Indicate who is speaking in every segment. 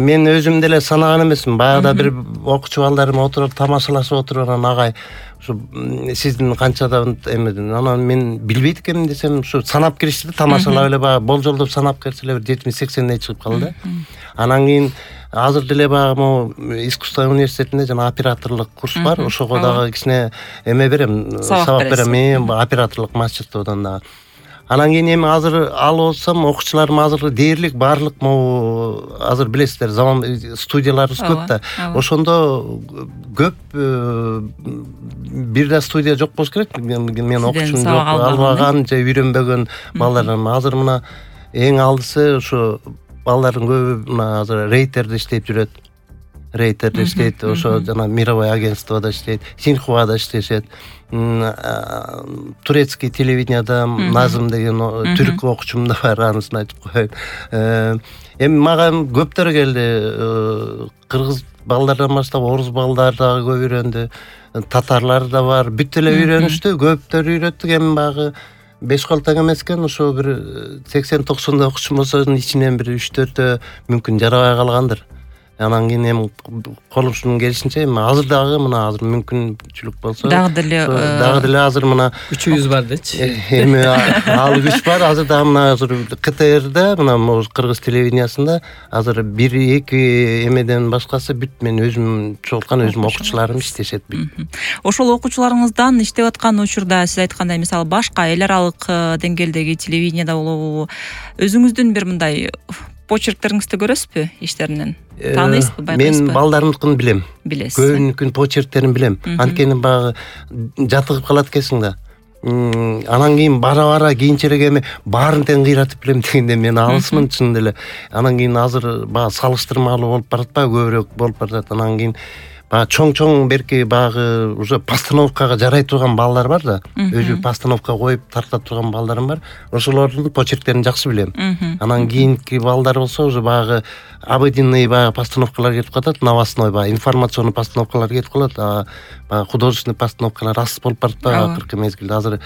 Speaker 1: мен өзүм деле санаган эмесмин. Баягыда бир окуучу балдарым отуруп тамашалашып отуруп анан агай ушу сиздин канчада эмеден анан мен билбейт экенмин десем ушу санап киришти да, тамашалап эле баягы болжолдоп санап кирсе эле бир 70-80дей чыгып калды. Анан кийин азыр деле баягы могу искусство университетинде жана операторлук курс бар. Ошого дагы кичине эме берем, сабак берем. Мен операторлук мастерстводон дагы. Анан кийин эми азыр алып отсам окуучуларым азыр дээрлик баарлык могу азыр билесиздер заман студияларыбыз көп да. Ошондо көп бир да студия жок болуш керек. Мен окуучум жок, албаган же үйрөнбөгөн балдарым. Азыр мына эң алдысы ушу балдардын көбү мына азыр рейтерде иштеп жүрөт. Рейтерде иштейт, ошо жана мировой агентствода иштейт, Синхуада иштешет. Турецкий телевиденияда Назым деген түрк окуучум да бар, анысын айтып коеюн. Эми мага көптөр келди. Кыргыз балдардан баштап орус балдар дагы көп үйрөндү. Татарлар да бар. Бүт эле үйрөнүштү, көптөр үйрөттүк. Эми багы 5 тең эмес экен, ошо бир 80-90 окуучум болсо ичинен бир 3-4 мүмкүн жарабай калгандыр. Анан кийин эми колумчун келишинче эми азыр дагы мына азыр мүмкүнчүлүк болсо дагы деле азыр мына күчүбүз бар дечи. Эми ал күч бар. Азыр дагы мына азыр КТРде мына кыргыз телевидениясында азыр 1-2 эмеден башкасы бүт мен өзүм чогулткан өзүм окуучуларым иштешет бүт.
Speaker 2: Ошол окуучуларыңыздан иштеп аткан учурда сиз айткандай мисалы башка эл аралык деңгээлдеги телевиденияда болобу, өзүңүздүн бир мындай почерктериңизди көрөсүзбү иштеринен? Тааныйсызбы, байкайсызбы?
Speaker 1: Мен балдарымдыкын билем.
Speaker 2: Билесиз.
Speaker 1: Көбүнүкүн почерктерин билем. Анткени багы жатыгып калат экенсиң да. Анан кийин бара кийинчерээк эми баарын тең кыйратып билем дегенде мен алысмын чын деле. Анан кийин азыр багы салыштырмалуу болуп баратпайбы, көбүрөөк болуп баратат. Анан кийин баягы чоң берки багы уже постановкага жарай турган балдар бар да. Өзү постановка коюп тарта турган балдарым бар. Ошолордун почерктерин жакшы билем. Анан кийинки балдар болсо уже багы обыденный баягы постановкалар кетип калат, новостной баягы информационный постановкалар кетип калат. Баягы художественный постановкалар аз болуп баратпайбы акыркы мезгилде. Азыр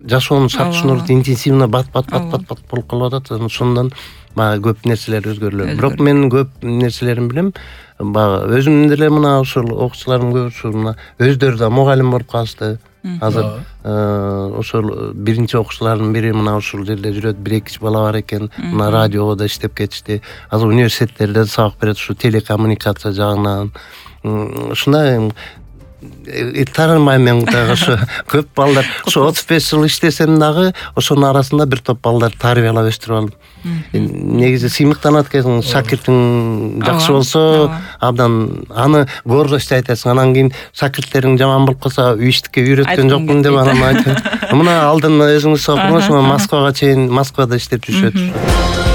Speaker 1: жашоонун шарт-шунуру интенсивно бат болуп калып атат. Ошондон баягы көп нерселер өзгөрүлөт. Бирок мен көп нерселерин билем. Баягы өзүм деле мына ушул окуучуларым көбүсү мына өздөрү да мугалим болуп калышты. Азыр ошол биринчи окуучулардын бири мына ушул жерде жүрөт, 1-2 бала бар экен. Мына радиого да иштеп кетишти. Азыр университеттерде сабак берет, ушу телекоммуникация жагынан. Ушундай таарынбайм мен дагы ошо көп балдар. Ошо 35 жыл иштесем дагы ошонун арасында бир топ балдар тарбиялап өстүрүп алдым. Негизи сыймыктанат экен, шакиртиң жакшы болсо абдан аны гордостьтой айтасың. Анан кийин шакирттериң жаман болуп калса, иштикке үйрөткөн жокмун деп анан айтып. Мына алдын өзүңүз окуңуз, Москвага чейин Москвада иштеп жүрүшөт.